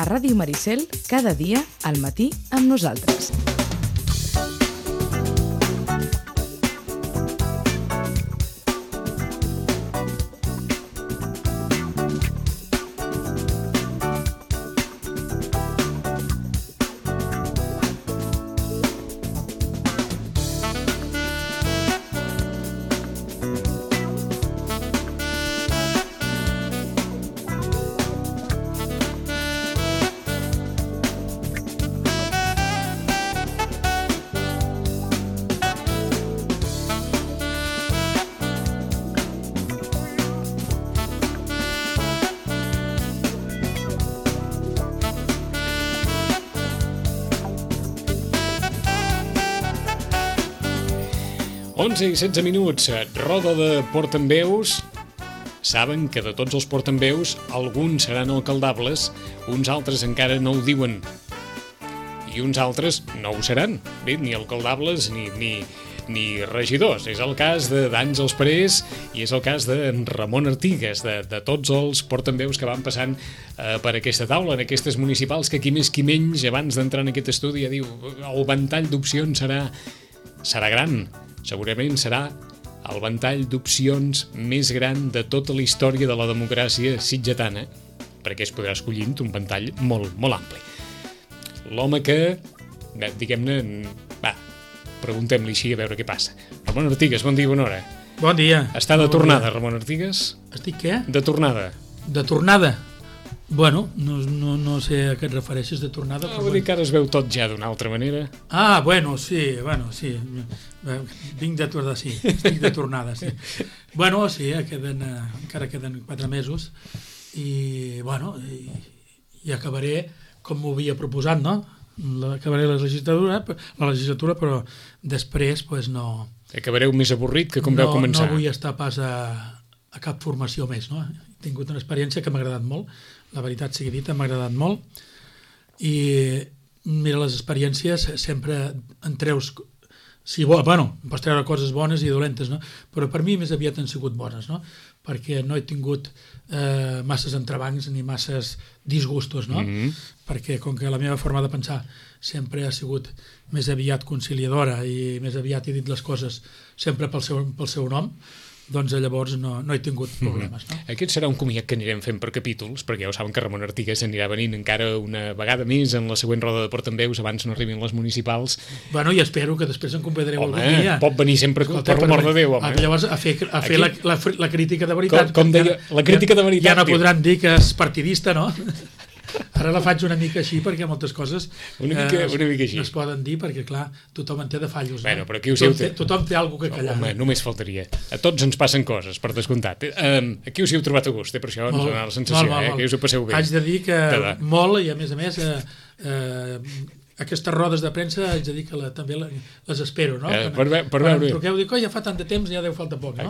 a Ràdio Maricel cada dia al matí amb nosaltres. Onze i 16 minuts, roda de portaveus. Saben que de tots els portaveus, alguns seran alcaldables, uns altres encara no ho diuen. I uns altres no ho seran. Bé, ni alcaldables ni regidors. És el cas d'Àngels Parés i és el cas de Ramon Artigas, de tots els portaveus que van passant per aquesta taula, en aquestes municipals, que qui més qui menys, abans d'entrar en aquest estudi, ja diu, el ventall d'opcions serà gran. Segurament serà el ventall d'opcions més gran de tota la història de la democràcia sitgetana, perquè es podrà escollir un ventall molt, molt ampli. L'home que, diguem-ne, preguntem-li així a veure què passa. Ramon Artigas, bon dia, bona hora. Bon dia. Està de tornada, Ramon Artigas? Estic què? De tornada. De tornada? Bueno, no sé a què et refereixes de tornada. Vull dir que ara es veu tot ja d'una altra manera. Sí. Vinc de tornada, sí. Estic de tornada, sí. Bueno, sí, encara queden 4 mesos i, bueno, i acabaré com m'ho havia proposat, no? Acabaré la legislatura, però després, doncs no... Acabareu més avorrit que com vau començar. No vull estar pas a cap formació més, no? He tingut una experiència que m'ha agradat molt, la veritat sigui dita, m'ha agradat molt, i mira, les experiències sempre en treus, pots treure coses bones i dolentes, no? Però per mi més aviat han sigut bones, no? Perquè no he tingut masses entrebancs ni masses disgustos, no? Perquè com que la meva forma de pensar sempre ha sigut més aviat conciliadora i més aviat he dit les coses sempre pel seu nom, doncs llavors no he tingut problemes. No? Aquest serà un comiat que anirem fent per capítols, perquè ja ho saben que Ramon Artigas anirà venint encara una vegada més en la següent roda de portaveus abans no arribin les municipals. Bueno, i espero que després en convidareu algun dia. Pot venir sempre, per l'amor de Déu, home. Llavors a fer la crítica de veritat. Com deia, la crítica de veritat. Ja no podran dir que és partidista, no? Ara la faig una mica així perquè moltes coses una mica així. No es poden dir perquè, clar, tothom en té de fallos. Bueno, no? Però tothom té alguna cosa que callar. Home, només faltaria. A tots ens passen coses, per descomptat. Aquí us hi heu trobat a gust, per això ens dona la sensació, que us ho passeu bé. Haig de dir que molt, i a més aquestes rodes de premsa haig de dir que també les espero, no? Per veure. Quan em truqueu, dic, ja fa tant de temps, ja deu falta poc, no?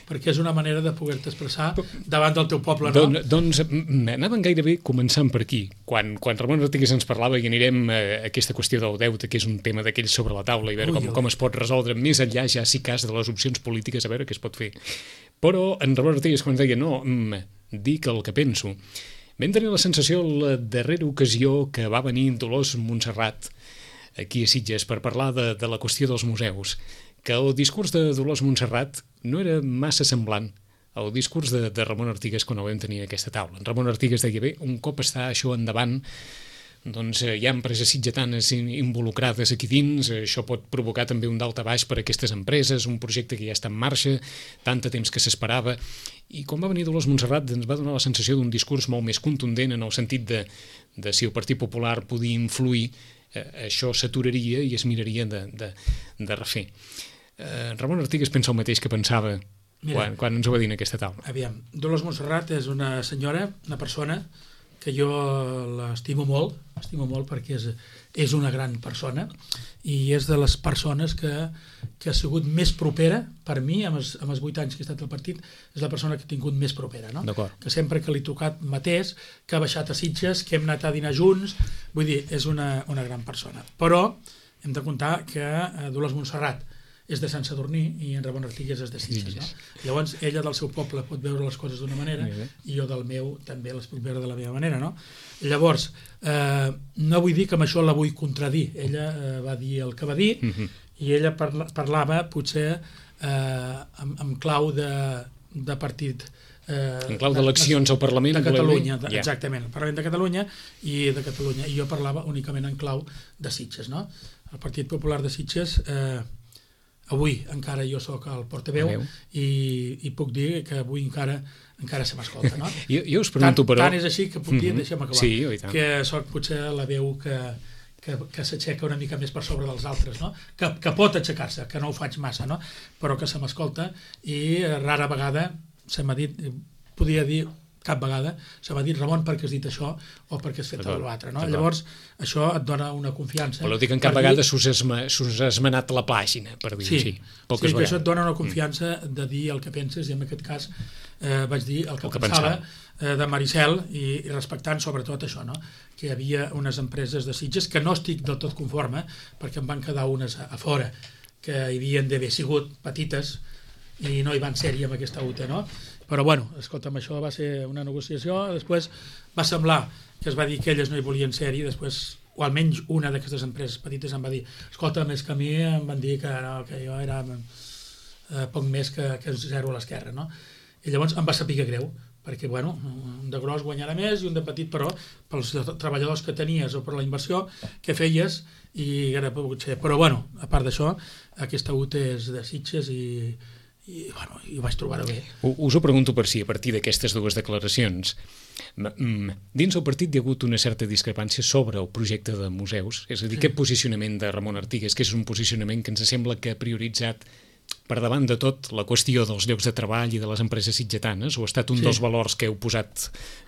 Perquè és una manera de poder-te expressar davant del teu poble, no? Doncs anàvem gairebé començant per aquí. Quan Ramon Artigas ens parlava i anirem a aquesta qüestió del deute, que és un tema d'aquells sobre la taula, i veure com es pot resoldre més enllà, ja si cas, de les opcions polítiques, a veure què es pot fer. Però en Ramon Artigas, quan deia, no, dic el que penso, vam tenir la sensació la darrera ocasió que va venir Dolors Montserrat aquí a Sitges per parlar de la qüestió dels museus, que el discurs de Dolors Montserrat no era massa semblant al discurs de Ramon Artigas quan el vam tenir a aquesta taula. Ramon Artigas deia, bé, un cop està això endavant, doncs hi ha empreses sitgetanes involucrades aquí dins, això pot provocar també un daltabaix per a aquestes empreses, un projecte que ja està en marxa, tant de temps que s'esperava, i quan va venir Dolors Montserrat ens va donar la sensació d'un discurs molt més contundent en el sentit de si el Partit Popular podia influir, això s'aturaria i es miraria de refer. Ramon Artigas pensa el mateix que pensava quan ens ho va dir en aquesta taula. Aviam, Dolors Montserrat és una senyora, una persona que jo l'estimo molt perquè és una gran persona i és de les persones que ha sigut més propera, per mi, amb els 8 anys que he estat al partit, és la persona que he tingut més propera, no? Que sempre que li he tocat mateix, que ha baixat a Sitges, que hem anat a dinar junts, vull dir, és una gran persona. Però hem de comptar que Dolors Montserrat és de Sant Sadurní i en Ramon Artigues és de Sitges, no? Llavors, ella del seu poble pot veure les coses d'una manera i jo del meu també les puc veure de la meva manera, no? Llavors, no vull dir que amb això la vull contradir. Ella va dir el que va dir i ella parlava potser amb clau de partit en clau d'eleccions al Parlament de Catalunya, exactament, el Parlament de Catalunya i de Catalunya, i jo parlava únicament en clau de Sitges, no? El Partit Popular de Sitges, avui encara jo sóc el portaveu i puc dir que avui encara se m'escolta, no? Jo us pregunto, però... Tant és així que puc dir, deixa'm acabar, sí, que sóc potser la veu que s'aixeca una mica més per sobre dels altres, no? Que pot aixecar-se, que no ho faig massa, no? Però que se m'escolta i rara vegada se m'ha dit, podria dir cap vegada, se m'ha dit Ramon perquè has dit això o perquè has fet l'altre, no? Llavors això et dona una confiança. Però dic que en cap vegada s'us ha esmenat la pàgina, per dir-ho així. Sí, que això et dona una confiança de dir el que penses, i en aquest cas vaig dir el que pensava de Maricel i respectant sobretot això, no? Que hi havia unes empreses de Sitges que no estic del tot conforme perquè em van quedar unes a fora que hi havien d'haver sigut petites i no hi van ser-hi amb aquesta UT, no? Però bueno, escolta'm, això va ser una negociació, després va semblar que es va dir que elles no hi volien ser-hi, després, o almenys una d'aquestes empreses petites em va dir, escolta, més que a mi em van dir que, no, que jo era poc més que zero a l'esquerra, no? I llavors em va saber greu, perquè bueno, un de gros guanyarà més i un de petit, però pels treballadors que tenies o per la inversió que feies, i era pogut ser. Però bueno, a part d'això, aquesta UT és de Sitges i bueno, ho vaig trobar bé. Us ho pregunto per si a partir d'aquestes dues declaracions dins el partit hi ha hagut una certa discrepància sobre el projecte de museus, és a dir, aquest posicionament de Ramon Artigues, que és un posicionament que ens sembla que ha prioritzat per davant de tot la qüestió dels llocs de treball i de les empreses sitgetanes, o ha estat un dels valors que heu posat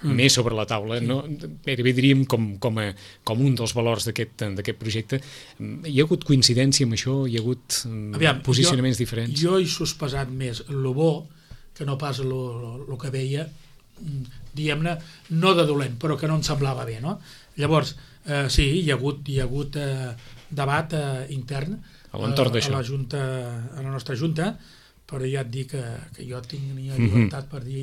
més sobre la taula, no? Gairebé diríem com un dels valors d'aquest projecte. Hi ha hagut coincidència amb això? Hi ha hagut posicionaments diferents? Jo he sospesat més el bo que no pas el que veia, diguem-ne, no de dolent, però que no em semblava bé, no? Llavors, sí, hi ha hagut debat intern a la nostra junta, però ja et dic que jo tinc llibertat per dir,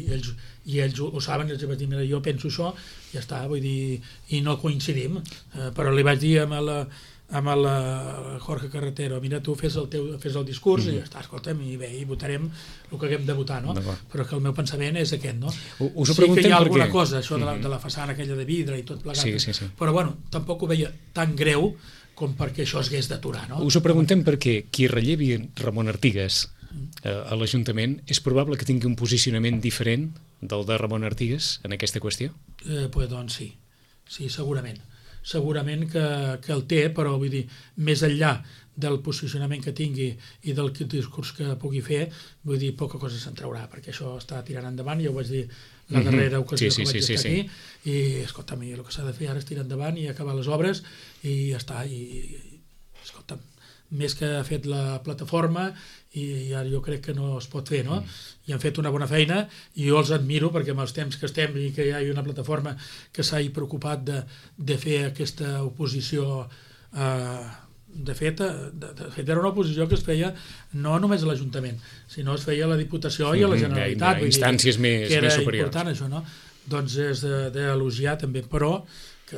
i ells ho saben, els vaig dir, mira, jo penso això, ja està, vull dir, i no coincidim, però li vaig dir amb el Jorge Carretero, mira, tu fes el discurs i ja està, escolta'm, i bé, i votarem el que haguem de votar, no? Però que el meu pensament és aquest, no? Sí que hi ha alguna cosa, això de la façana aquella de vidre i tot plegat, però bueno, tampoc ho veia tan greu com perquè això es hagués d'aturar, no? Us ho preguntem perquè qui rellevi Ramon Artigues a l'Ajuntament és probable que tingui un posicionament diferent del de Ramon Artigues en aquesta qüestió? Doncs sí, segurament que el té, però vull dir, més enllà del posicionament que tingui i del discurs que pugui fer, vull dir, poca cosa se'n traurà, perquè això està tirant endavant, ja ho vaig dir la darrera ocasió que vaig estar aquí, i escolta'm, el que s'ha de fer ara és tirar endavant i acabar les obres i ja està, i escolta'm, més que ha fet la plataforma i ara jo crec que no es pot fer, no? I han fet una bona feina i jo els admiro perquè amb els temps que estem i que hi ha una plataforma que s'ha preocupat de fer aquesta oposició de fet era una oposició que es feia no només a l'Ajuntament, sinó es feia a la Diputació i a la Generalitat, instàncies més superiors, que era important això, no? Doncs és d'elogiar també, però que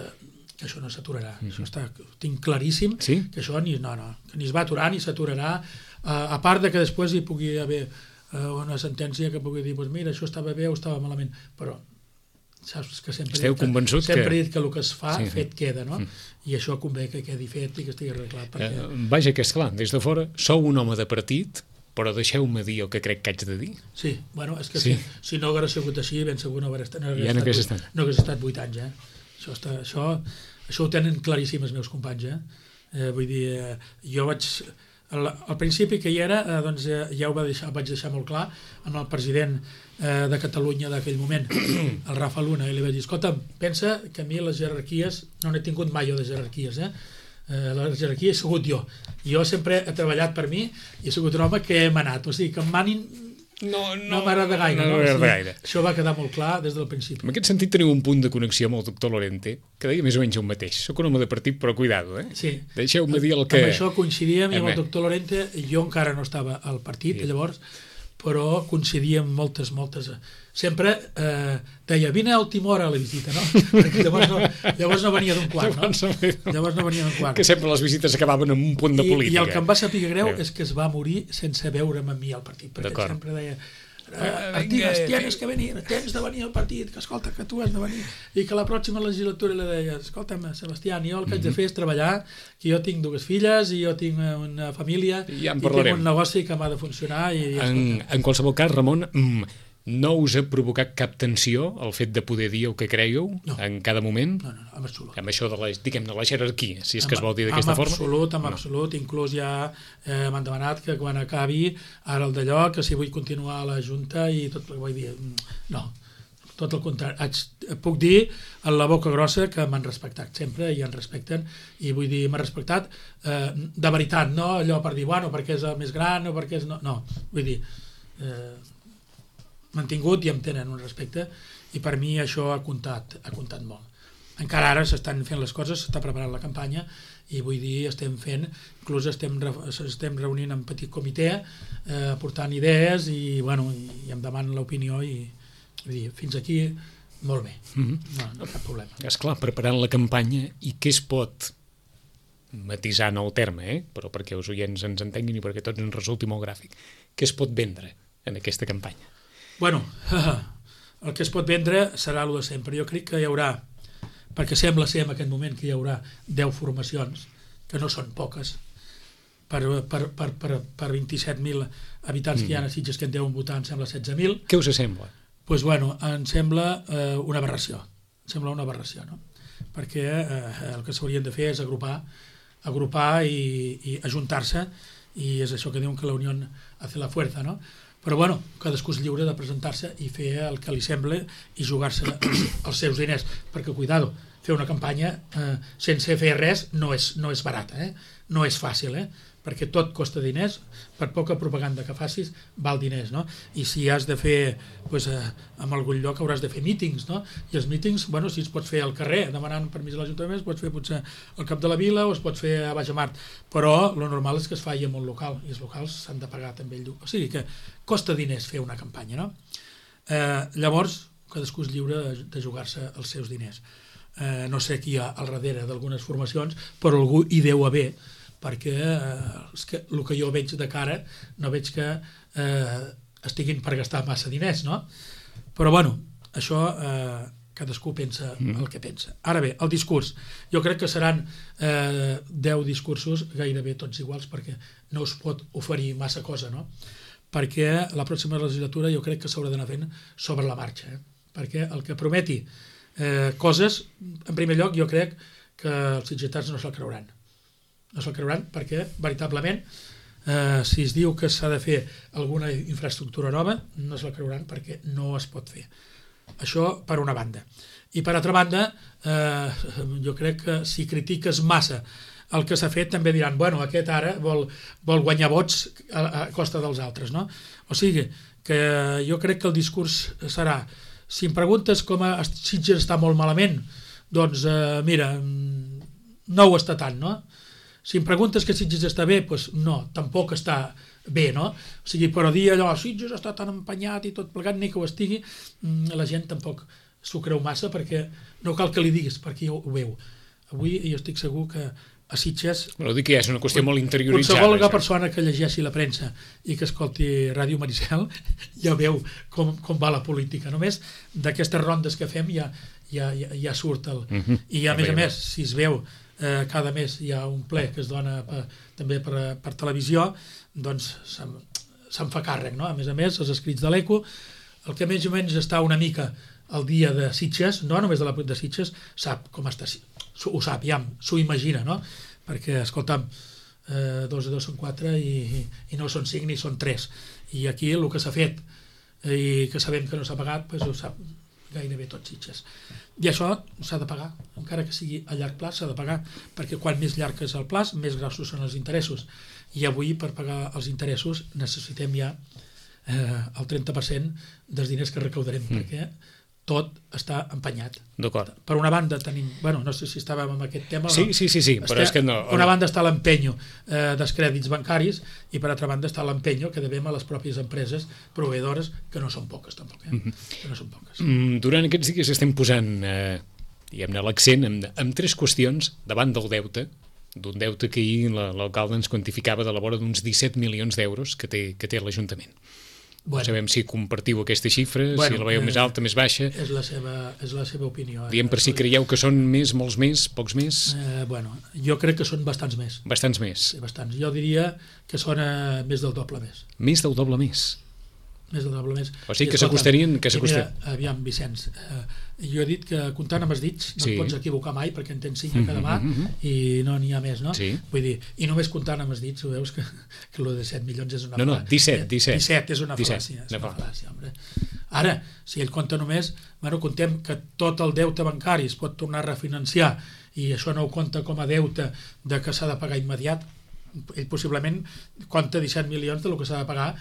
això no s'aturarà, això està, tinc claríssim que això ni es va aturar ni s'aturarà, a part de que després hi pugui haver una sentència que pugui dir, mira, això estava bé o estava malament, però saps que sempre he dit que el que es fa fet queda, no? I això convé que quedi fet i que estigui arreglat. Vaja, que és clar, des de fora sou un home de partit, però deixeu-me dir el que crec que haig de dir. Sí, bueno, és que si no hagués sigut així, ben segur no hagués estat 8 anys, Això ho tenen claríssim els meus companys, vull dir, jo vaig... Al principi que hi era, doncs ja ho vaig deixar molt clar amb el president de Catalunya d'aquell moment, el Rafa Luna, i li vaig dir, escolta, pensa que a mi les jerarquies, no n'he tingut mai jo de jerarquies, la jerarquia he sigut jo. Jo sempre he treballat per mi i he sigut un home que he manat, o sigui, que em manin no m'agrada gaire. No m'agrada gaire. Això va quedar molt clar des del principi. En aquest sentit teniu un punt de connexió amb el doctor Lorente, que deia més o menys el mateix. Soc un home de partit, però cuidado, Sí. Deixeu-me dir el que... Amb això coincidíem, i amb el doctor Lorente, jo encara no estava al partit, llavors, però coincidíem moltes... Sempre deia, vine a última hora a la visita, no? Perquè llavors no venia d'un quart, no? Llavors no venia d'un quart. Que sempre les visites acabaven amb un punt de política. I el que em va saber greu és que es va morir sense veure'm a mi al partit, perquè sempre deia, Artigas, tienes que venir, tens de venir al partit, que escolta, que tu has de venir, i que la pròxima legislatura li deia, escolta'm, Sebastià, jo el que haig de fer és treballar, que jo tinc 2 filles i jo tinc una família i tinc un negoci que m'ha de funcionar. En qualsevol cas, Ramon, no us ha provocat cap tensió el fet de poder dir el que creieu en cada moment? No, en absolut. Amb això de la jerarquia, si és que es vol dir d'aquesta forma? En absolut. Inclús ja m'han demanat que quan acabi ara el d'allò, que si vull continuar a la Junta i tot, vull dir, no, tot el contrari. Puc dir a la boca grossa que m'han respectat sempre i en respecten, i vull dir, m'han respectat de veritat, no allò per dir, bueno, perquè és el més gran o perquè és... No, vull dir... m'han tingut i em tenen un respecte, i per mi això ha comptat molt. Encara ara s'estan fent les coses, s'està preparant la campanya, i vull dir, inclús estem reunint en petit comitè, aportant idees, i em demanen l'opinió, i vull dir, fins aquí molt bé, no cap problema. Esclar, preparant la campanya, i què es pot, matisant el terme, però perquè els oients ens entenguin i perquè tots ens resulti molt gràfic, què es pot vendre en aquesta campanya? Bueno, el que es pot vendre serà el de sempre. Jo crec que hi haurà, perquè sembla ser en aquest moment que hi haurà 10 formacions, que no són poques, per 27.000 habitants que hi ha a Sitges, que en deuen votar, em sembla 16.000. Què us sembla? Doncs bueno, em sembla una aberració. Em sembla una aberració, no? Perquè el que s'haurien de fer és agrupar i ajuntar-se, i és això que diuen que la unió hace la fuerza, no? Però bueno, cadascú és lliure de presentar-se i fer el que li sembla i jugar-se els seus diners, perquè cuidado, fer una campanya sense fer res no és barata, no és fàcil, perquè tot costa diners, per poca propaganda que facis val diners, no? I si has de fer, doncs, en algun lloc hauràs de fer mítings, no? I els mítings, bueno, si es pots fer al carrer, demanant permís a l'Ajuntament, es pot fer potser al cap de la vila o es pot fer a Baix Amart, però el normal és que es faci en un local, i els locals s'han de pagar també el lloc. O sigui que costa diners fer una campanya, no? Llavors, cadascú és lliure de jugar-se els seus diners. No sé qui hi ha al darrere d'algunes formacions, però algú hi deu haver, perquè el que jo veig de cara no veig que estiguin per gastar massa diners, no? Però bueno, això cadascú pensa el que pensa. Ara bé, el discurs, jo crec que seran 10 discursos gairebé tots iguals, perquè no es pot oferir massa cosa, no? Perquè la pròxima legislatura jo crec que s'haurà d'anar fent sobre la marxa, perquè el que prometi coses, en primer lloc jo crec que els sitgetans no se'l creuran. No se'l creuran perquè, veritablement, si es diu que s'ha de fer alguna infraestructura nova, no se'l creuran perquè no es pot fer. Això per una banda. I per altra banda, jo crec que si critiques massa el que s'ha fet, també diran, bueno, aquest ara vol guanyar vots a costa dels altres, no? O sigui, que jo crec que el discurs serà, si em preguntes com a Sitges està molt malament, doncs mira, no ho està tant, no? Si em preguntes que Sitges està bé, doncs no, tampoc està bé, no? O sigui, però dir allò, Sitges està tan empenyat i tot plegat, ni que ho estigui, la gent tampoc s'ho creu massa, perquè no cal que li diguis, perquè ho veu. Avui jo estic segur que a Sitges... Però dic que ja és una qüestió molt interioritzada. Qualsevol persona que llegeixi la premsa i que escolti Ràdio Maricel ja veu com va la política. Només d'aquestes rondes que fem ja surt el... I a més, si es veu cada mes hi ha un ple que es dona també per televisió, doncs se'n fa càrrec, no? A més, els escrits de l'ECO, el que més o menys està una mica al dia de Sitges, no només de Sitges, sap com està, ho sap, ja s'ho imagina, no? Perquè, escolta'm, 2 i 2 són 4 i no són 5 ni són 3. I aquí el que s'ha fet i que sabem que no s'ha pagat, doncs ho sap gairebé tot Sitges. I això s'ha de pagar, encara que sigui a llarg plaç s'ha de pagar, perquè quan més llarg és el plaç, més grossos són els interessos. I avui, per pagar els interessos, necessitem ja el 30% dels diners que recaudarem, perquè tot està empenyat. D'acord. Per una banda tenim, no sé si estàvem en aquest tema o no. Sí, però és que no. Per una banda està l'empenyo dels crèdits bancaris i per altra banda està l'empenyo que devem a les pròpies empreses proveïdores, que no són poques tampoc, que no són poques. Durant aquests dies estem posant diguem-ne l'accent en 3 qüestions davant del deute, d'un deute que ahir l'alcalde ens quantificava de la vora d'uns 17 milions d'euros que té l'Ajuntament. No sabem si compartiu aquesta xifra, si la veieu més alta, més baixa. És la seva opinió. Diem per si creieu que són més, molts més, pocs més? Jo crec que són bastants més. Bastants més? Sí, bastants. Jo diria que són més del doble més. Més del doble més? Més del doble més. O sigui que s'acostarien... Aviam, Vicenç, jo he dit que comptant amb els dits no et pots equivocar mai perquè en tens 5 a cada mà i no n'hi ha més, no? Sí. Vull dir, i només comptant amb els dits, ho veus que el de 7 milions és una fal·làcia. No, 17. 17 és una fal·làcia. És una fal·làcia, home. Ara, si ell compta només, contem que tot el deute bancari es pot tornar a refinanciar i això no ho compta com a deute de que s'ha de pagar immediat, ell possiblement compta 17 milions del que s'ha de pagar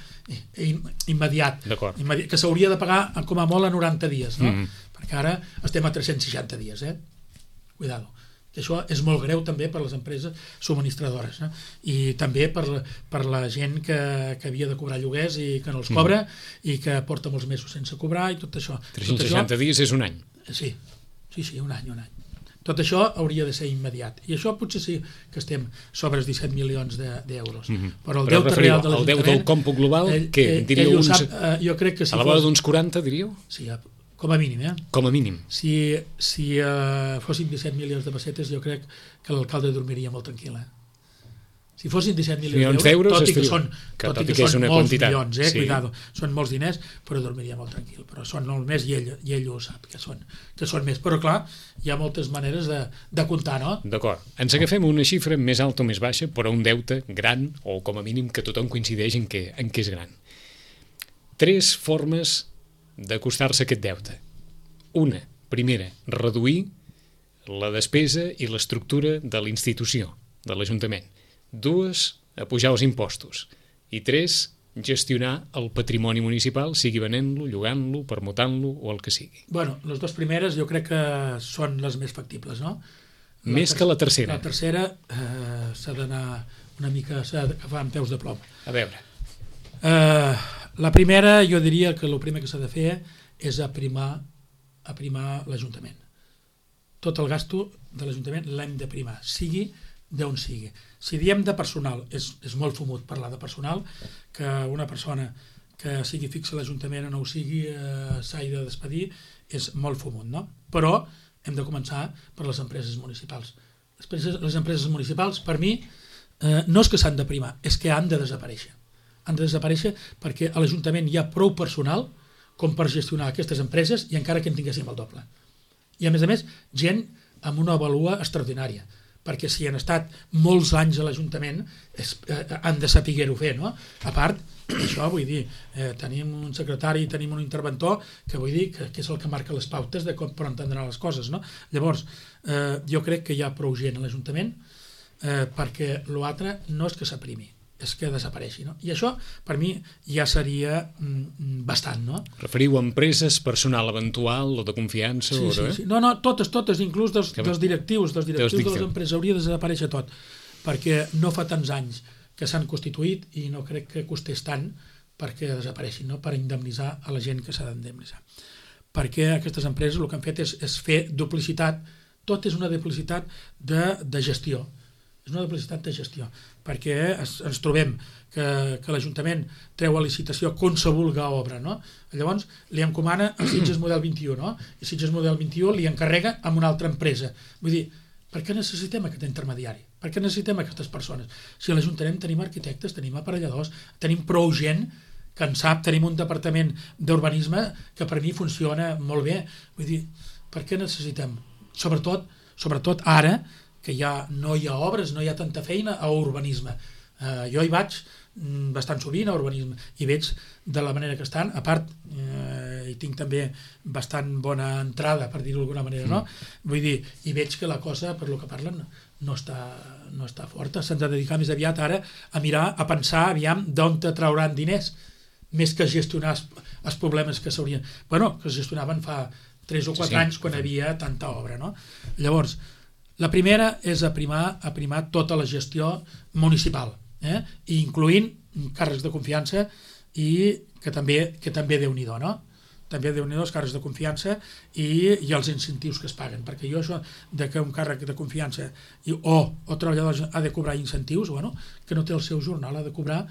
immediat, que s'hauria de pagar com a molt a 90 dies, no? Perquè ara estem a 360 dies, cuidado, que això és molt greu també per les empreses subministradores, i també per la gent que havia de cobrar lloguers i que no els cobra i que porta molts mesos sense cobrar i tot això. 360 dies és un any. Sí, un any. Tot això hauria de ser immediat. I això potser sí que estem sobre els 17 milions d'euros. Però el deute real de l'Ajuntament... El deute del còmput global, què? Diríeu uns... Jo crec que si a la vora d'uns 40, diríeu? Sí, com a mínim. Com a mínim. Si fossin 17 milions de pessetes, jo crec que l'alcalde dormiria molt tranquil. Si fossin 17 milions d'euros, tot i que són molts milions, cuidado, són molts diners, però dormiria molt tranquil. Però són molt més i ell ho sap, que són més. Però clar, hi ha moltes maneres de comptar, no? D'acord. Ens agafem una xifra més alta o més baixa, però un deute gran, o com a mínim que tothom coincideix en què és gran. 3 formes d'acostar-se a aquest deute. Una, primera, reduir la despesa i l'estructura de la institució, de l'Ajuntament. 2, apujar els impostos. I 3, gestionar el patrimoni municipal, sigui venent-lo, llogant-lo, permutant-lo o el que sigui. Les 2 primeres jo crec que són les més factibles, no? Més que la tercera. La tercera s'ha d'anar una mica, s'ha d'agafar amb peus de plom. A veure. La primera, jo diria que el primer que s'ha de fer és aprimar l'Ajuntament. Tot el gasto de l'Ajuntament l'hem d'aprimar, sigui d'on sigui. Si diem de personal, és molt fumut parlar de personal, que una persona que sigui fixa a l'Ajuntament o no ho sigui s'hagi de despedir, és molt fumut, no? Però hem de començar per les empreses municipals. Les empreses municipals, per mi, no és que s'han d'aprimar, és que han de desaparèixer. Han de desaparèixer perquè a l'Ajuntament hi ha prou personal com per gestionar aquestes empreses i encara que en tinguéssim el doble. I a més, gent amb una vàlua extraordinària, perquè si han estat molts anys a l'Ajuntament han de saber-ho fer, no? A part, això vull dir, tenim un secretari, tenim un interventor que vull dir que és el que marca les pautes de com per entendre les coses, no? Llavors, jo crec que hi ha prou gent a l'Ajuntament perquè l'altre no és que s'aprimi, és que desapareixi, no? I això, per mi, ja seria bastant, no? Referiu a empreses, personal eventual o de confiança? Sí. No, totes, inclús dels directius de les empreses, hauria de desaparèixer tot, perquè no fa tants anys que s'han constituït i no crec que costés tant perquè desapareixin, no? Per indemnitzar a la gent que s'ha d'indemnitzar. Perquè aquestes empreses el que han fet és fer duplicitat, tot és una duplicitat de gestió. És una duplicitat de gestió, perquè ens trobem que l'Ajuntament treu a licitació qualsevol obra, no? Llavors li encomana a Sitges Model 21, no? I Sitges Model 21 li encarrega amb una altra empresa. Vull dir, per què necessitem aquest intermediari? Per què necessitem aquestes persones? Si a l'Ajuntament tenim arquitectes, tenim aparelladors, tenim prou gent que en sap, tenim un departament d'urbanisme que per mi funciona molt bé. Vull dir, per què necessitem? Sobretot ara, que ja no hi ha obres, no hi ha tanta feina a urbanisme. Jo hi vaig bastant sovint a urbanisme i veig de la manera que estan, a part hi tinc també bastant bona entrada, per dir-ho d'alguna manera, no? Vull dir, i veig que la cosa, per lo que parlen, no està forta. Se'ns ha de dedicar més aviat ara a mirar, a pensar aviam d'on trauran diners. més que gestionar els problemes que s'haurien... Bueno, que es gestionaven fa 3 o 4 anys quan hi havia tanta obra, no? Llavors, la primera és aprimar tota la gestió municipal, incloent càrrecs de confiança i que també Déu-n'hi-do, no? També Déu-n'hi-do els càrrecs de confiança i els incentius que es paguen, perquè jo això de que un càrrec de confiança o treballador ha de cobrar incentius, bueno, que no té el seu jornal, ha de cobrar,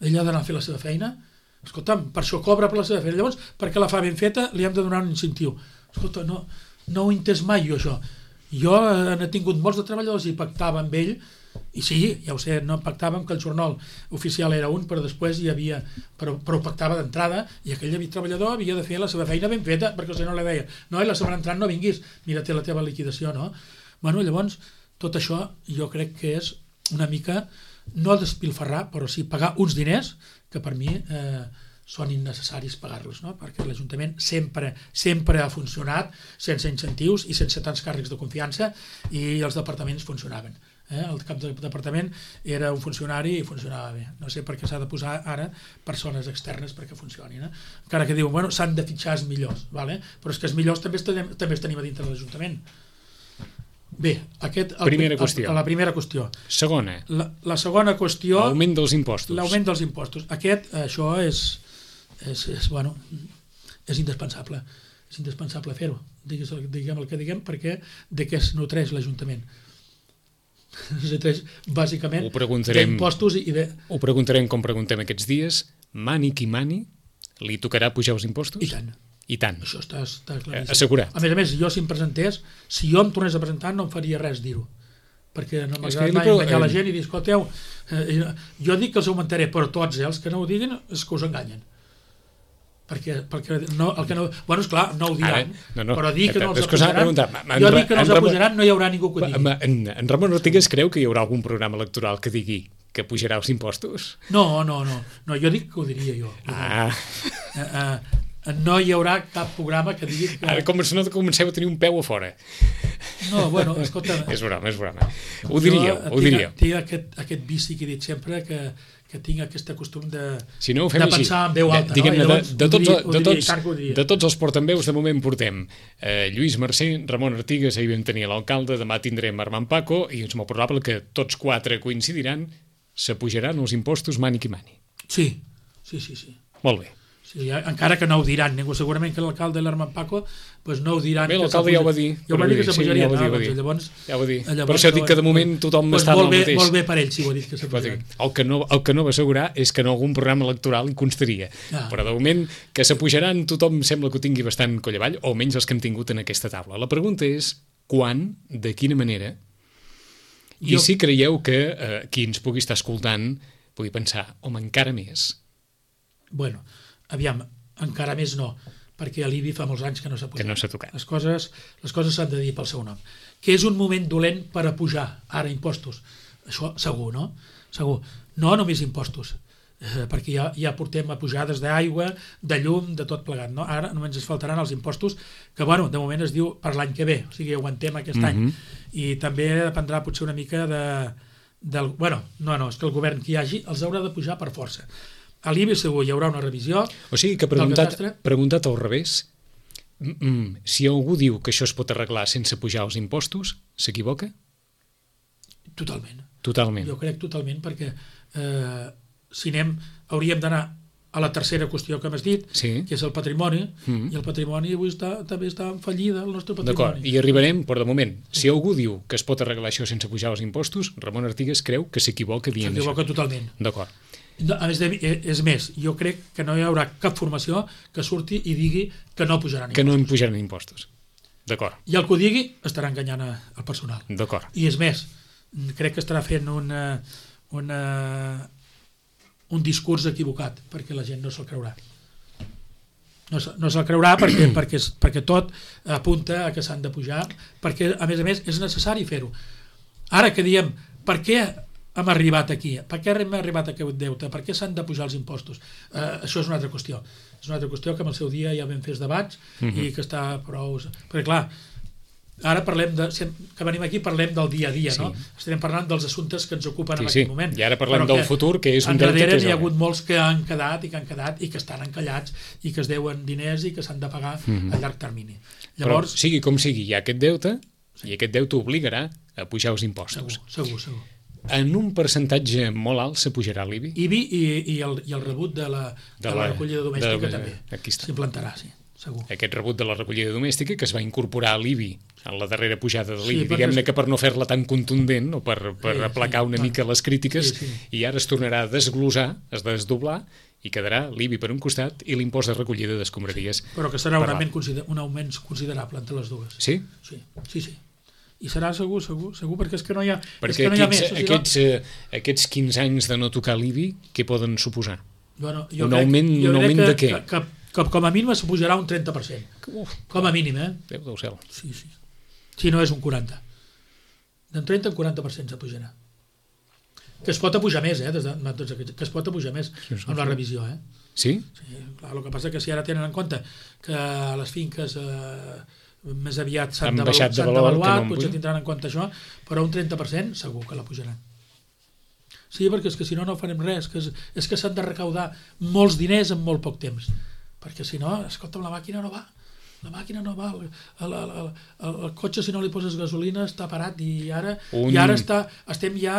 ell ha d'anar a fer la seva feina, escolta'm, per això cobra per la seva feina, llavors perquè la fa ben feta li hem de donar un incentiu. Escolta, no ho he entès mai jo això. Jo n'he tingut molts de treballadors i pactava amb ell, i sí, ja ho sé, no pactàvem que el jornal oficial era un, però després hi havia, però pactava d'entrada, i aquell treballador havia de fer la seva feina ben feta, perquè si no li deia, no, i la setmana entrant no vinguis, mira, té la teva liquidació, no? Bueno, llavors, tot això jo crec que és una mica, no despilfarrar, però sí pagar uns diners que per mi són innecessaris pagar-los, no? Perquè l'Ajuntament sempre ha funcionat sense incentius i sense tants càrrecs de confiança i els departaments funcionaven. El cap del departament era un funcionari i funcionava bé. No sé per què s'ha de posar ara persones externes perquè funcionin. Encara que diuen, bueno, s'han de fitxar els millors, vale? Però és que els millors també els tenim a dintre de l'Ajuntament. Bé, la primera qüestió. Segona. La segona qüestió... L'augment dels impostos. L'augment dels impostos. Això bueno, és indispensable. És indispensable fer-ho. Diguem el que diguem, perquè de què es nutreix l'Ajuntament? Es nutreix bàsicament d'impostos i de... Ho preguntarem com preguntem aquests dies. Mani qui mani, li tocarà pujar els impostos? I tant. Això està claríssim. Assegurat. A més, jo si em presentés, si jo em tornés a presentar no em faria res dir-ho, perquè no m'agrada mai enganyar la gent i dir, escolteu, jo dic que els augmentaré, però tots els que no ho diguin és que us enganyen. Perquè no, el que no... Bueno, esclar, no ho diran, però dir que no els apujaran... Jo dic que no els apujaran, no hi haurà ningú que ho digui. En Ramon Ortigues creu que hi haurà algun programa electoral que digui que pujarà els impostos? No, jo dic que ho diria jo. No hi haurà cap programa que digui que... Ara com no comenceu a tenir un peu a fora. No, bueno, escolta... És broma. Ho diríeu. Tinc aquest vici que he dit sempre, que tinc aquest costum de pensar en veu alta. De tots els portaveus de moment portem Lluís Mercè, Ramon Ortigues, ahir vam tenir l'alcalde, demà tindrem Armand Paco, i és molt probable que tots 4 coincidiran, s'apujaran els impostos mani qui mani. Sí. Molt bé. Sí, encara que no ho diran ningú, segurament que l'alcalde i l'Armand Paco pues no ho diran. Bé, l'alcalde ja ho va dir. Ja ho va dir que s'apujaria. Ja ho va dir. Per això dic que de moment tothom està en el mateix. Molt bé per ell, si ho ha dit que s'apujaran. El que no va assegurar és que en algun programa electoral hi constaria. Però de moment que s'apujaran tothom sembla que ho tingui bastant coll avall, o almenys els que hem tingut en aquesta taula. La pregunta és quan, de quina manera, i si creieu que qui ens pugui estar escoltant pugui pensar, home, encara més. Bueno, aviam, encara més no, perquè a l'IBI fa molts anys que no s'ha pujat. Que no s'ha tocat. Les coses s'han de dir pel seu nom. Que és un moment dolent per a pujar ara impostos. Això segur, no? Segur. No només impostos, perquè ja portem a pujades d'aigua, de llum, de tot plegat, no? Ara només ens faltaran els impostos, que bueno, de moment es diu per l'any que ve, o sigui, aguantem aquest any. I també dependrà potser una mica bueno, és que el govern que hi hagi els haurà de pujar per força. A l'IBI segur hi haurà una revisió. O sigui que preguntat al revés, si algú diu que això es pot arreglar sense pujar els impostos, s'equivoca? Totalment. Jo crec totalment, perquè si hauríem d'anar a la tercera qüestió que m'has dit, que és el patrimoni, i el patrimoni avui també està en fallida, el nostre patrimoni. D'acord, i arribarem, però de moment, si algú diu que es pot arreglar això sense pujar els impostos, Ramon Ortigues creu que s'equivoca dient això. S'equivoca totalment. D'acord. A més, és més, jo crec que no hi haurà cap formació que surti i digui que no pujaran impostos. Que no en pujaran impostos. D'acord. I el que ho digui estarà enganyant el personal. D'acord. I és més, crec que estarà fent un discurs equivocat, perquè la gent no se'l creurà. No se'l creurà perquè tot apunta a que s'han de pujar, perquè a més és necessari fer-ho. Ara que diem, per què hem arribat aquí? Per què hem arribat a aquest deute? Per què s'han de pujar els impostos? Això és una altra qüestió. És una altra qüestió que en el seu dia ja vam fer els debats i que està prou... Perquè clar, ara parlem que venim aquí parlem del dia a dia, no? Estarem parlant dels assumptes que ens ocupen en aquell moment. I ara parlem del futur, que és un deute que és... N'hi ha hagut molts que han quedat i que estan encallats i que es deuen diners i que s'han de pagar a llarg termini. Llavors, però sigui com sigui, hi ha aquest deute i aquest deute obligarà a pujar els impostos. Segur. En un percentatge molt alt s'apujarà l'IBI? IBI i el rebut de la recollida domèstica també s'implantarà, sí. Segur. Aquest rebut de la recollida domèstica que es va incorporar a l'IBI en la darrera pujada de l'IBI, diguem-ne que per no fer-la tan contundent o per aplacar una mica les crítiques, i ara es tornarà a desglossar, a desdoblar, i quedarà l'IBI per un costat i l'impost de recollida d'escombraries. Però que serà un augment considerable entre les dues. Sí? Sí. I serà segur, perquè és que no hi ha, perquè aquests 15 anys de no tocar l'IBI, què poden suposar? Un augment de què? Que com a mínim s'apujarà un 30%. Com a mínim, Déu del cel. Sí. Si no és un 40%. D'un 30 a un 40% s'apujarà. Que es pot apujar més, que es pot apujar més amb la revisió, Sí? Sí, clar, el que passa que si ara tenen en compte que les finques més aviat s'han devaluat, potser tindran en compte això, però un 30% segur que la pujaran. Sí, perquè és que si no farem res, és que s'han de recaudar molts diners en molt poc temps, perquè si no, escolta'm, la màquina no va, el cotxe si no li poses gasolina està parat i ara estem ja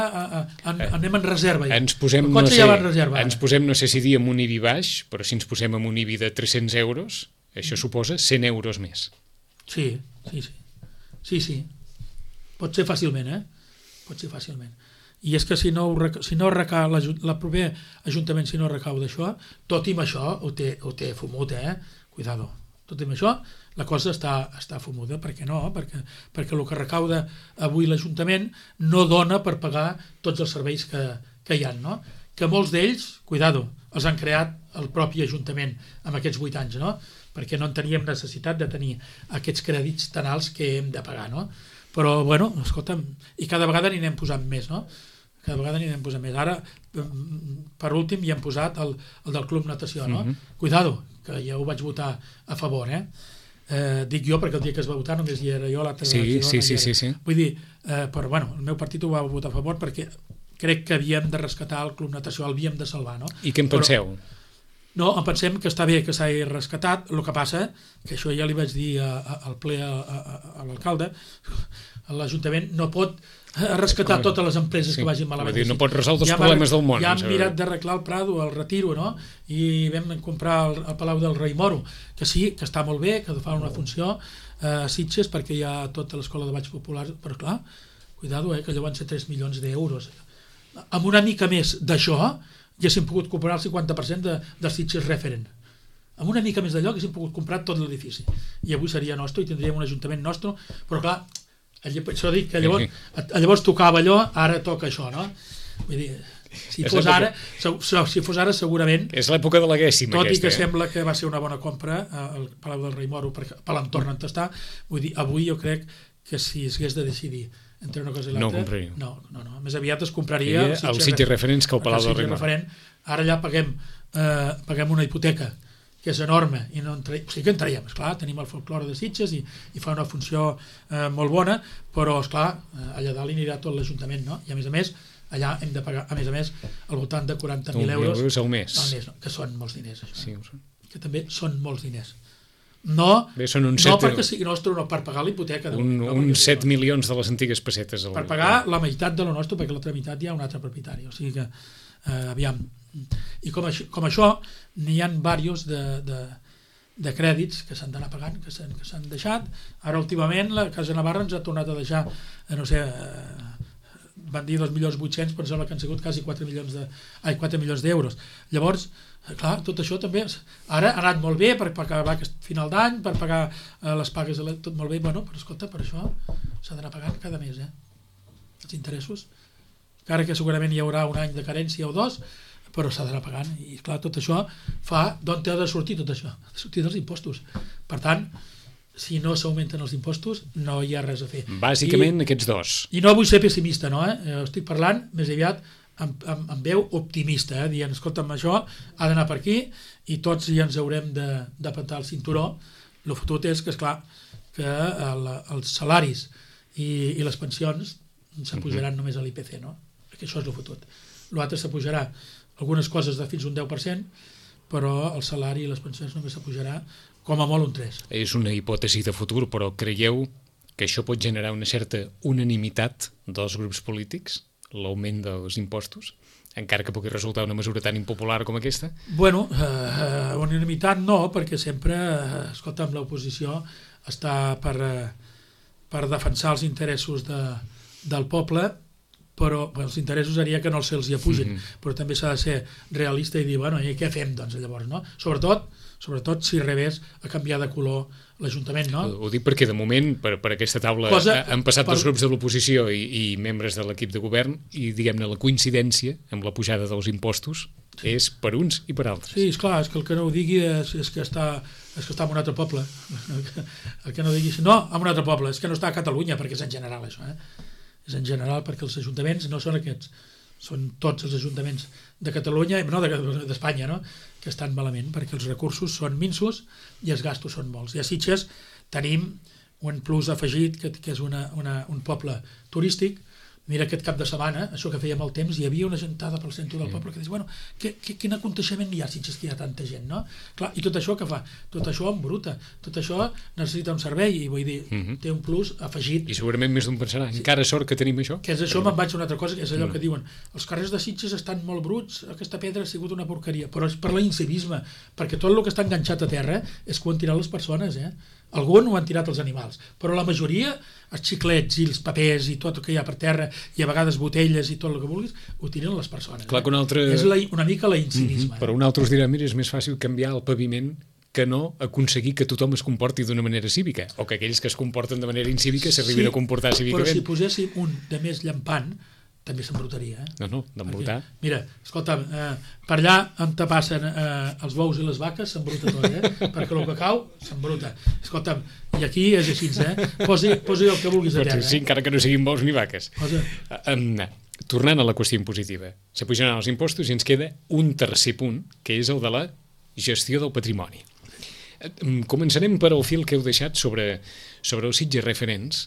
anem en reserva ja. Ens posem, el cotxe ja va en reserva. Ens posem, no sé si dir amb un IBI baix, però si ens posem amb un IBI de 300 euros, això suposa 100 euros més. Sí. Pot ser fàcilment, Pot ser fàcilment. I és que si no recau el proper ajuntament, si no recau d'això, tot i amb això ho té fumut, cuidado. Tot i amb això la cosa està fumuda. Per què no? Perquè el que recauda avui l'Ajuntament no dona per pagar tots els serveis que hi ha, no? Que molts d'ells, cuidado, els han creat el propi Ajuntament amb aquests 8 anys, no? Perquè no en teníem necessitat de tenir aquests crèdits tan alts que hem de pagar, no? Però, bueno, escolta'm, i cada vegada n'hi anem posant més, no? Ara, per últim, hi hem posat el del Club Natació, no? Cuidado, que ja ho vaig votar a favor, dic jo perquè el dia que es va votar només hi era jo, l'altre sí. Vull dir, però bueno, el meu partit ho va votar a favor perquè crec que havíem de rescatar el Club Natació, l'havíem de salvar, no? I què en penseu? No, em pensem que està bé que s'hagi rescatat, el que passa, que això ja li vaig dir al ple a l'alcalde, l'Ajuntament no pot rescatar totes les empreses que vagin malament. No pot resoldre els problemes del món. Ja hem mirat d'arreglar el Prado, el Retiro, no? I vam comprar el Palau del Rei Moro, que sí, que està molt bé, que fa una funció a Sitges perquè hi ha tota l'escola de balls populars, però clar, cuidado, que allò van ser 3 milions d'euros. Amb una mica més d'això ja haguéssim pogut comprar el 50% del Sitges Referent. Amb una mica més d'allò haguéssim pogut comprar tot l'edifici. I avui seria nostre i tindríem un ajuntament nostre, però clar, això dic que llavors tocava allò, ara toca això, no? Vull dir, si fos ara segurament... És l'època de la Guèssima, tot i que sembla que va ser una bona compra el Palau del Rei Moro per l'entorn on està, vull dir, avui jo crec que si es hagués de decidir entre una cosa i l'altra... No, més aviat es compraria el Sitges Referents que el Palau del Rei Moro. Ara ja paguem una hipoteca que és enorme, i no o sigui que entraiem, esclar, tenim el folklore de Sitges i fa una funció molt bona, però esclar, allà dalt hi anirà tot l'Ajuntament, no? I a més, allà hem de pagar, a més, al voltant de 40.000 euros al mes, que són molts diners, això. Sí, que també són molts diners. No perquè sigui nostre, no per pagar la hipoteca. Uns 7 milions de les antigues pessetes. Per pagar la meitat de lo nostre, perquè l'altra meitat hi ha un altre propietari, o sigui que, aviam, i com això n'hi ha diversos de crèdits que s'han d'anar pagant, que s'han deixat. Ara últimament la Casa Navarra ens ha tornat a deixar, no sé, van dir 2.800.000, però sembla que han sigut quasi 4 milions d'euros. Llavors, clar, tot això també ara ha anat molt bé per pagar aquest final d'any, per pagar les pagues, tot molt bé, bueno, però escolta, per això s'ha d'anar pagant cada mes, els interessos, encara que segurament hi haurà un any de carència o dos, però s'ha d'anar pagant, i clar, tot això fa d'on ha de sortir tot això, ha de sortir dels impostos. Per tant, si no s'augmenten els impostos, no hi ha res a fer. Bàsicament aquests dos. I no vull ser pessimista, no? Estic parlant més aviat amb veu optimista, dient, escolta'm, això ha d'anar per aquí i tots ja ens haurem de petar el cinturó El fotut és que, esclar, que els salaris i les pensions s'apujaran només a l'IPC, no? Que això és el fotut. L'altre s'apujarà algunes coses de fins un 10%, però el salari i les pensions només s'apujarà com a molt un 3%. És una hipòtesi de futur, però creieu que això pot generar una certa unanimitat dels grups polítics, l'augment dels impostos, encara que pugui resultar una mesura tan impopular com aquesta? Bueno, unanimitat no, perquè sempre, escolta, amb l'oposició està per defensar els interessos del poble, però els interessos seria que no se'ls hi apugin, però també s'ha de ser realista i dir, bueno, i què fem, doncs, llavors, no? Sobretot si revés a canviar de color l'Ajuntament, no? Ho dic perquè, de moment, per aquesta taula han passat dos grups de l'oposició i membres de l'equip de govern i, diguem-ne, la coincidència amb la pujada dels impostos és per uns i per altres. Sí, esclar, és que el que no ho digui és que està en un altre poble. El que no digui, no, en un altre poble, és que no està a Catalunya, perquè és en general això, és en general perquè els ajuntaments no són aquests, són tots els ajuntaments de Catalunya, no d'Espanya, no? Que estan malament, perquè els recursos són minsos i els gastos són molts. I a Sitges tenim un plus afegit, que és un poble turístic. Mira, aquest cap de setmana, això que feia molt temps, hi havia una gentada pel centre del poble que dius, bueno, quin aconteixement hi ha, Sitges, que hi ha tanta gent, no? Clar, i tot això què fa? Tot això embruta, tot això necessita un servei, i vull dir, té un plus afegit. I segurament més d'un pensarà, encara sort que tenim això. Que és això, me'n vaig a una altra cosa, que és allò que diuen, els carrers de Sitges estan molt bruts, aquesta pedra ha sigut una porqueria, però és per l'incivisme, perquè tot el que està enganxat a terra és que ho han tirat les persones, Algun ho han tirat els animals, però la majoria, els xiclets i els papers i tot el que hi ha per terra, i a vegades botelles i tot el que vulguis, ho tiren les persones. Clar que un altre... És una mica l'incivisme. Però un altre us dirà, mira, és més fàcil canviar el paviment que no aconseguir que tothom es comporti d'una manera cívica, o que aquells que es comporten de manera incívica s'arribin a comportar cívicament. Però si poséssim un de més llampant, també s'embrutaria. No, d'embrutar. Mira, escolta, per allà on te passen els bous i les vaques s'embruta tot, perquè el que cau s'embruta. Escolta, i aquí és així, Posi el que vulguis a terra. Sí, encara que no siguin bous ni vaques. Tornant a la qüestió impositiva, s'apujaran els impostos i ens queda un tercer punt, que és el de la gestió del patrimoni. Començarem per al fil que heu deixat sobre els Sitges Referents.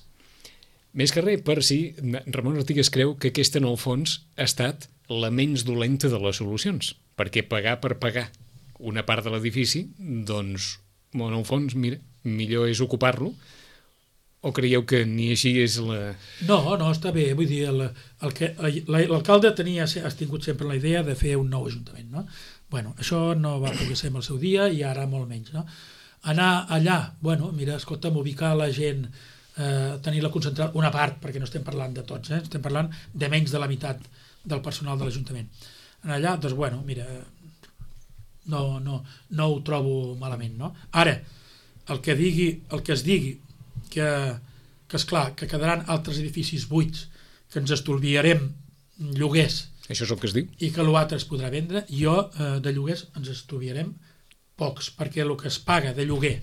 Més que res, per si Ramon Artigas creu que aquesta, en el fons, ha estat la menys dolenta de les solucions, perquè pagar per pagar una part de l'edifici, doncs, en el fons, mira, millor és ocupar-lo, o creieu que ni així és la... No, està bé, vull dir, l'alcalde ha tingut sempre la idea de fer un nou ajuntament, no? Bueno, això no va poder ser en el seu dia i ara molt menys, no? Anar allà, bueno, mira, escolta'm, ubicar la gent, tenir-la concentrada, una part, perquè no estem parlant de tots, estem parlant de menys de la meitat del personal de l'Ajuntament. En allà, doncs, bueno, mira, no ho trobo malament, no? Ara, el que es digui que esclar, que quedaran altres edificis buits, que ens estalviarem lloguers. Això és el que es diu? I que l'altre es podrà vendre, de lloguers ens estalviarem pocs, perquè el que es paga de lloguer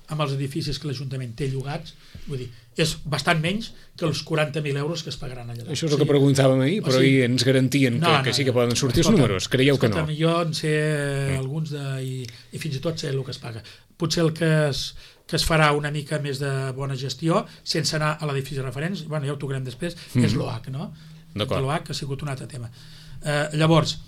amb els edificis que l'Ajuntament té llogats, vull dir, és bastant menys que els 40.000 euros que es pagaran allà. Això és el que preguntàvem ahir, però ahir ens garantien que sí que poden sortir els números. Creieu que no? Jo en sé alguns i fins i tot sé el que es paga. Potser el que es farà una mica més de bona gestió, sense anar a l'edifici referents, bueno, ja ho tocarem després, és l'OAC, no? L'OAC ha sigut un altre tema. Llavors...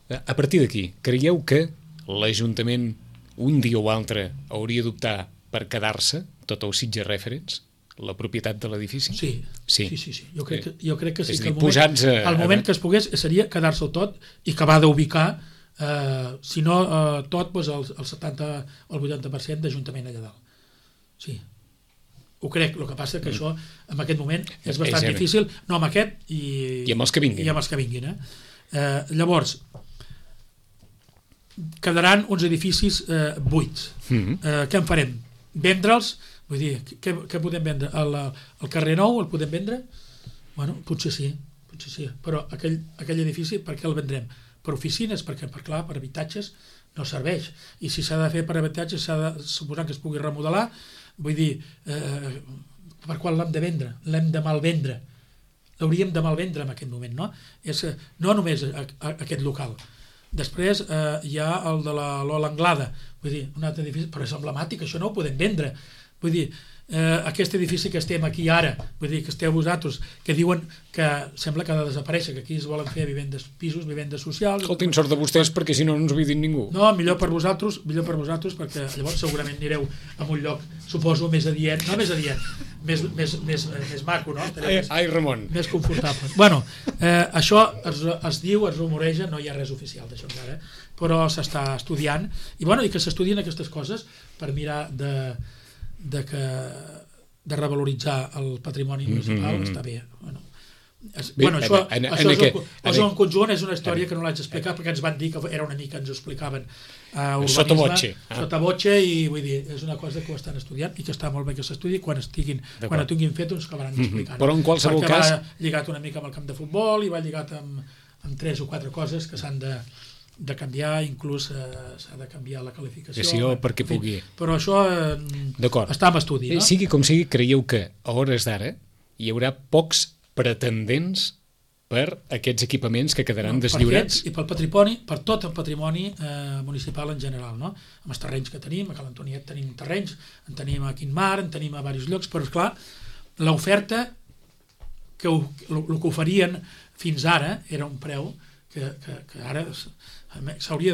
A partir d'aquí, creieu que l'Ajuntament un dia o altre hauria d'optar per quedar-se tot el Sitges Referents, la propietat de l'edifici? Sí. Jo crec que sí. És a dir, el moment que es pogués seria quedar-se'l tot i acabar d'ubicar, si no tot, el 70 o el 80% d'Ajuntament allà dalt. Sí. Ho crec, el que passa que això en aquest moment és bastant difícil, no amb aquest i amb els que vinguin. Llavors, quedaran uns edificis buits. Què en farem? Vendre'ls? Vull dir, què podem vendre? El carrer Nou el podem vendre? Bueno, potser sí, però aquell edifici per què el vendrem? Per oficines? Perquè, clar, per habitatges no serveix. I si s'ha de fer per habitatges, s'ha de suposar que es pugui remodelar. Vull dir, per qual l'hem de vendre? L'hem de malvendre. L'hauríem de malvendre en aquest moment, no? No només aquest local. Després hi ha el de l'Ola Anglada, vull dir, un altre edifici, però és emblemàtic, això no ho podem vendre. Vull dir, aquest edifici que estem aquí ara, vull dir, que esteu vosaltres, que diuen que sembla que ha de desaparèixer, que aquí es volen fer vivendes, pisos, vivendes socials... Escoltin, sort de vostès, perquè si no, no ens ho dit ningú. No, millor per vosaltres, perquè llavors segurament anireu a un lloc, suposo, més adient, no més adient, més maco, no? Ai, Ramon. Més confortable. Bueno, això es diu, es rumoreja, no hi ha res oficial d'això encara, però s'està estudiant, i que s'estudien aquestes coses per mirar de revaloritzar el patrimoni municipal, està bé. Això és un conjunt, és una història que no l'haig d'explicar perquè ens van dir que era una mica, ens ho explicaven urbanisme, sota voce, i vull dir, és una cosa que ho estan estudiant i que està molt bé que s'estudi, quan ho tinguin fet ens acabaran explicant. Però en qualsevol cas... Va lligat una mica amb el camp de futbol i va lligat amb 3 o 4 coses que s'han de canviar, inclús s'ha de canviar la qualificació perquè pugui... Però això està en estudi, no? Sigui com sigui, creieu que a hores d'ara hi haurà pocs pretendents per aquests equipaments que quedaran deslliurats? I pel patrimoni, per tot el patrimoni municipal en general, no? Amb els terrenys que tenim, a Cal Antoniet tenim terrenys, en tenim a Quinmar, en tenim a diversos llocs, però esclar, l'oferta que el que oferien fins ara era un preu que ara s'hauria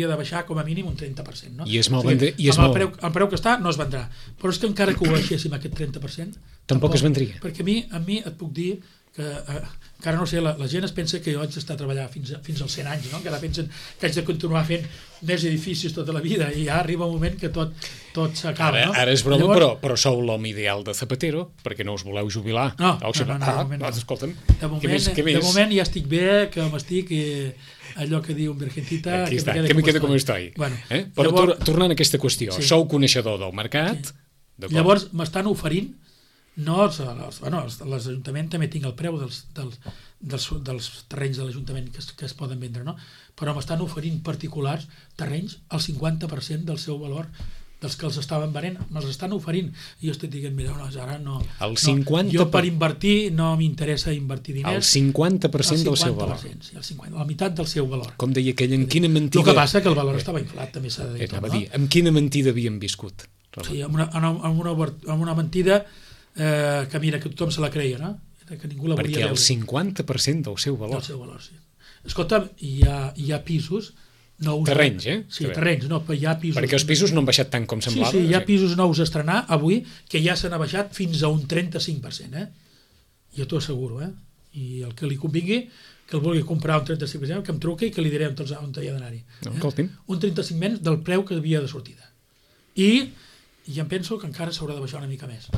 de baixar com a mínim un 30%, no? I és molt amb el preu que està no es vendrà, però és que encara que ho baixéssim aquest 30% tampoc es vendria, perquè a mi et puc dir que encara no sé, la gent es pensa que jo haig d'estar a treballar fins als 100 anys, no? Encara pensen que haig de continuar fent més edificis tota la vida i ja arriba un moment que tot s'acaba, no? Ara és broma, però sou l'home ideal de Zapatero, perquè no us voleu jubilar. No, escolta'm, de moment ja estic bé, que m'estic allò que diu un virgencita que me quede com estoy. Però tornant a aquesta qüestió, sou coneixedor del mercat, llavors m'estan oferint, l'Ajuntament també tinc el preu dels terrenys de l'Ajuntament que es poden vendre, no? Però m'estan oferint particulars terrenys al 50% del seu valor dels que els estaven venent, me'ls estan oferint i jo estic dient, mira, ara no, jo per invertir no m'interessa invertir diners. El 50% del seu valor. Sí, la meitat del seu valor. Com deia aquell, en quina mentida... El que passa que el valor estava inflat, també s'ha de dir. Amb quina mentida havíem viscut? Sí, amb una mentida que mira, que tothom se la creia, no? Que ningú la volia veure. Perquè el 50% del seu valor. Del seu valor, sí. Escolta'm, hi ha pisos nous... Terrenys, Sí, terrenys, no, però hi ha pisos... Perquè els pisos no han baixat tant com semblava. Sí, hi ha pisos nous a estrenar avui que ja s'han baixat fins a un 35%, Jo t'ho asseguro, I el que li convingui, que el vulgui comprar un 35%, que em truqui i que li diré on hi ha d'anar-hi. Un 35% menys del preu que havia de sortida. I em penso que encara s'haurà de baixar una mica més.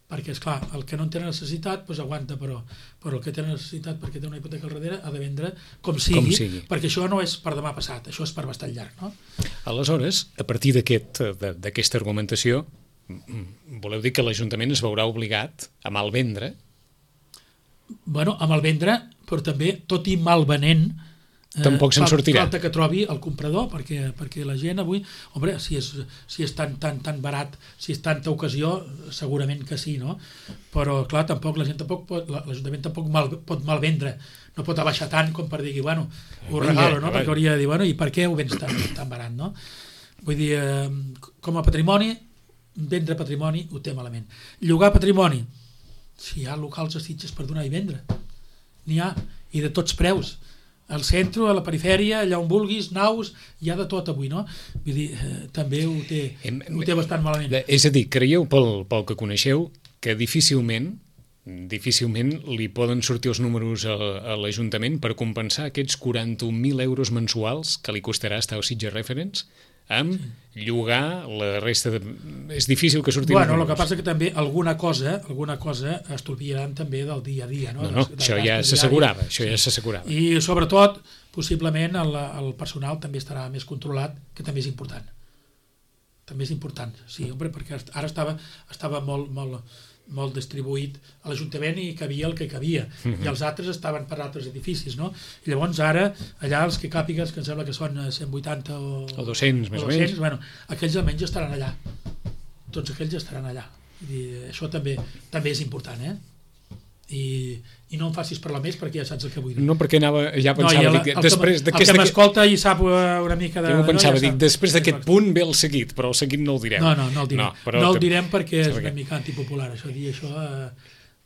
Perquè, esclar, el que no en té necessitat doncs aguanta, però el que té necessitat perquè té una hipoteca al darrere ha de vendre com sigui, perquè això no és per demà passat, això és per bastant llarg, no? Aleshores, a partir d'aquesta argumentació, voleu dir que l'Ajuntament es veurà obligat a malvendre? Bueno, a malvendre, però també, tot i malvenent, tampoc se'n sortirà. Falta que trobi el comprador, perquè la gent avui, home, si és tan barat, si és tanta ocasió, segurament que sí, no? Però, clar, l'Ajuntament tampoc pot malvendre, no pot abaixar tant com per dir, bueno, ho regalo, no? Perquè hauria de dir, bueno, i per què ho vens tan barat, no? Vull dir, com a patrimoni, vendre patrimoni ho té malament. Llogar patrimoni, si hi ha locals a Sitges per donar i vendre, n'hi ha, i de tots preus, al centre, a la perifèria, allà on vulguis, naus, hi ha de tot avui, no? Vull dir, també ho té bastant malament. És a dir, creieu, pel que coneixeu, que difícilment li poden sortir els números a l'Ajuntament per compensar aquests 41.000 euros mensuals que li costarà estar al Sitges Reference amb llogar la resta de... És difícil que surtin... Bueno, el que passa que també alguna cosa estolviaran també del dia a dia, no? Això ja s'assegurava, I sobretot, possiblement, el personal també estarà més controlat, que també és important. Sí, perquè ara estava molt distribuït a l'Ajuntament i cabia el que cabia, i els altres estaven per altres edificis, no? I llavors ara, allà els que càpigues, que em sembla que són 180 o 200, més o menys, bueno, aquells almenys estaran allà, tots aquells estaran allà. I això també és important, i no em facis parlar més perquè ja saps el que vull dir. No, perquè ja pensava, el que m'escolta i sap una mica de... Jo pensava, després d'aquest punt ve el seguit, però el seguit no el direm. No el direm. No el direm perquè és una mica antipopular, això, dir això...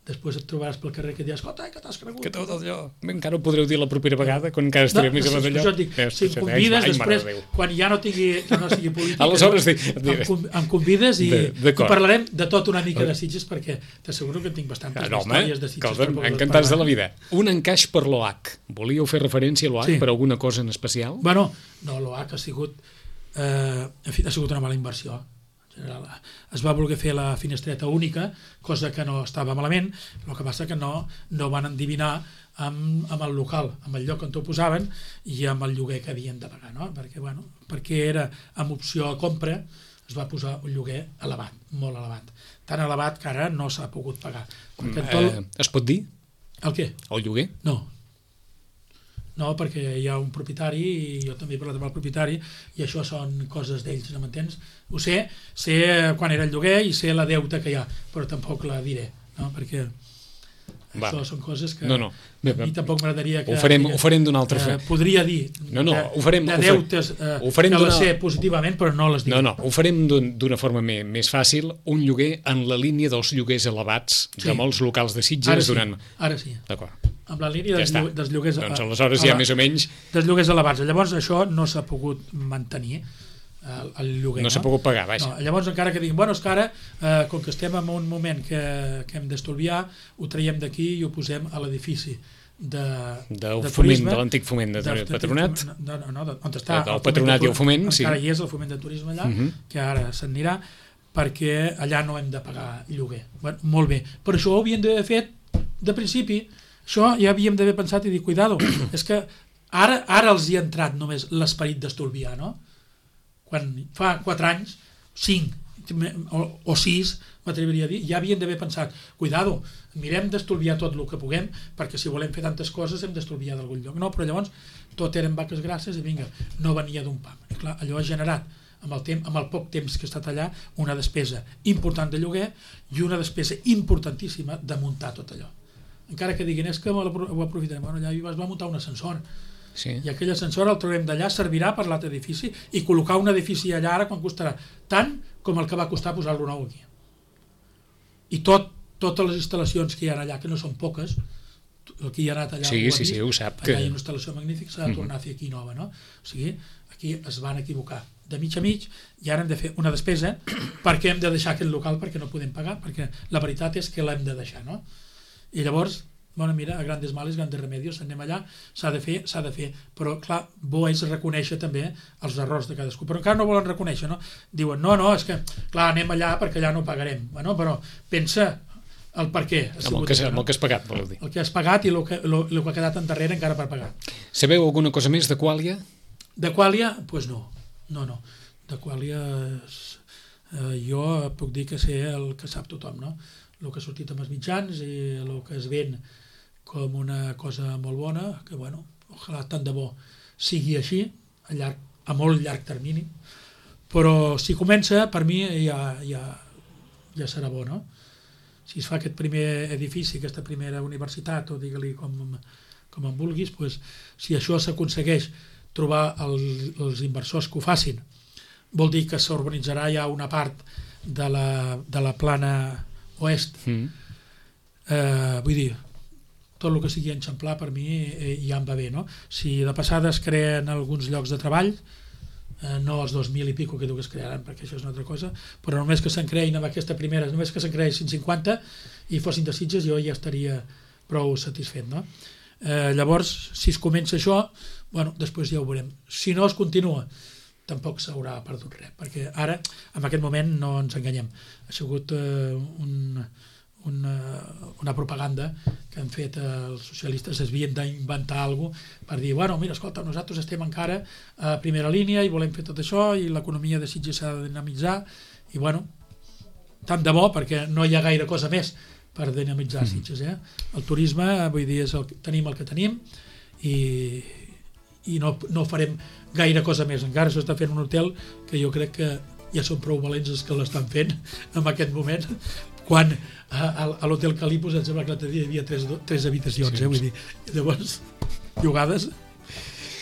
Després et trobaràs pel carrer que et diràs, escolta, que t'has cregut? Que tot allò... Encara ho podreu dir la propera vegada, quan encara estaré més a d'allò. Si em convides, després, quan ja no sigui polític, aleshores em convides i parlarem de tot una mica de Sitges, perquè t'asseguro que en tinc bastantes històries de Sitges. Encantats de la vida. Un encaix per l'OH. Volíeu fer referència a l'OH per alguna cosa en especial? Bueno, no, l'OH ha sigut una mala inversió. Es va voler fer la finestreta única, cosa que no estava malament, el que passa que no van endivinar amb el local, amb el lloc on t'ho posaven i amb el lloguer que havien de pagar, no? Perquè era amb opció a compra, es va posar un lloguer elevat, molt elevat, tan elevat que ara no s'ha pogut pagar. Es pot dir? El què? El lloguer? No, perquè hi ha un propietari i jo també he parlat amb el propietari i això són coses d'ells, no m'entens? Ho sé quan era el lloguer i sé la deuta que hi ha, però tampoc la diré, no? Perquè això són coses que a mi tampoc m'agradaria que... Ho farem d'una altra forma. Podria dir de deutes que les sé positivament, però no les dic. No, ho farem d'una forma més fàcil, un lloguer en la línia dels lloguers elevats de molts locals de Sitges durant... Ara sí. D'acord. Amb la línia dels lloguers... Doncs aleshores ja més o menys... Dels lloguers elevats. Llavors això no s'ha pogut mantenir, el lloguer. No s'ha pogut pagar, vaja. Llavors encara que diguin, és que ara, com que estem en un moment que hem d'estolviar, ho traiem d'aquí i ho posem a l'edifici del foment, de l'antic foment de Patronat. On està el Patronat i el foment, sí. Encara hi és el foment de turisme allà, que ara se'n anirà, perquè allà no hem de pagar lloguer. Molt bé. Per això ho havíem d'haver fet de principi. Això ja havíem d'haver pensat i dir, cuidado, és que ara els hi ha entrat només l'esperit d'estolviar, no? Quan fa 4 anys, 5 o 6, m'atreviria a dir, ja havien d'haver pensat, cuidado, mirem d'estolviar tot el que puguem, perquè si volem fer tantes coses hem d'estolviar d'algun lloc. No, però llavors tot eren vaques grasses i vinga, no venia d'un pam. I clar, allò ha generat, amb el poc temps que ha estat allà, una despesa important de lloguer i una despesa importantíssima de muntar tot allò. Encara que diguin, és que ho aprofitarem. Allà es va muntar un ascensor, i aquell ascensor el traurem d'allà, servirà per l'altre edifici, i col·locar un edifici allà ara quan costarà tant com el que va costar posar-lo nou aquí. I totes les instal·lacions que hi ha allà, que no són poques, el que hi ha anat allà, ho sap, allà hi ha una instal·lació magnífica, s'ha de tornar a fer aquí nova, no? O sigui, aquí es van equivocar de mig a mig i ara hem de fer una despesa perquè hem de deixar aquest local perquè no podem pagar, perquè la veritat és que l'hem de deixar, no? I llavors, mira, a grandes males, grandes remedios, anem allà, s'ha de fer, però clar, bo és reconèixer també els errors de cadascú, però encara no volen reconèixer, no? Diuen, no, és que, clar, anem allà perquè allà no pagarem, però pensa el per què. Amb el que has pagat, voleu dir. El que has pagat i el que ha quedat endarrere encara per pagar. Sabeu alguna cosa més de Quàlia? De Quàlia? Doncs no. De Quàlia jo puc dir que sé el que sap tothom, no? El que ha sortit amb els mitjans i el que es ven com una cosa molt bona, que ojalà tant de bo sigui així, a molt llarg termini, però si comença, per mi ja serà bo, no? Si es fa aquest primer edifici, aquesta primera universitat, o digue-li com en vulguis, si això s'aconsegueix trobar els inversors que ho facin, vol dir que s'urbanitzarà ja una part de la plana oest. Vull dir, tot el que sigui enxamplar per mi ja em va bé, no? Si de passada es creen alguns llocs de treball, no els 2.000 i pico que diu que es crearan, perquè això és una altra cosa, però només que se'n creïn amb aquesta primera, només que se'n creïn 150 i fossin de Sitges, jo ja estaria prou satisfet, no? Llavors, si es comença això, després ja ho veurem. Si no es continua, tampoc s'haurà perdut res, perquè ara, en aquest moment, no ens enganyem. Ha sigut una propaganda que han fet els socialistes, es havien d'inventar alguna cosa per dir, mira, escolta, nosaltres estem encara a primera línia i volem fer tot això i l'economia de Sitges s'ha de dinamitzar i tant de bo, perquè no hi ha gaire cosa més per dinamitzar Sitges. El turisme, vull dir, tenim el que tenim i no farem gaire cosa més. Encara s'està fent un hotel que jo crec que ja són prou valents els que l'estan fent en aquest moment, quan a l'Hotel Calipos em sembla que l'altre dia hi havia 3 habitacions, Sí. Vull dir, llavors, llogades,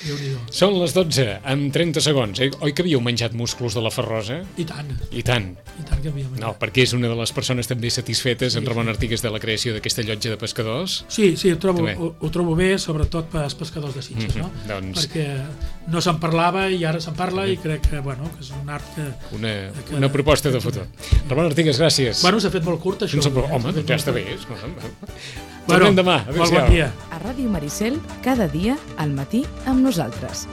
Déu-n'hi-do. Són les 12, amb 30 segons. Oi que havíeu menjat musclos de la Ferrosa? I tant I tant. que havíem menjat. No, perquè és una de les persones també satisfetes, en Ramon Artigues, de la creació d'aquesta llotja de pescadors. Sí, També. ho trobo bé, sobretot pels pescadors de Sitges, no? Doncs- Perquè no se'n parlava i ara se'n parla i crec que, bueno, que és un art que... Una proposta de futur. Ramon Artigues, gràcies. Bueno, s'ha fet molt curt, això. Home, doncs ja està bé. Bueno, Tornem demà. molt bon dia. A Ràdio Maricel, cada dia, al matí, amb nosaltres.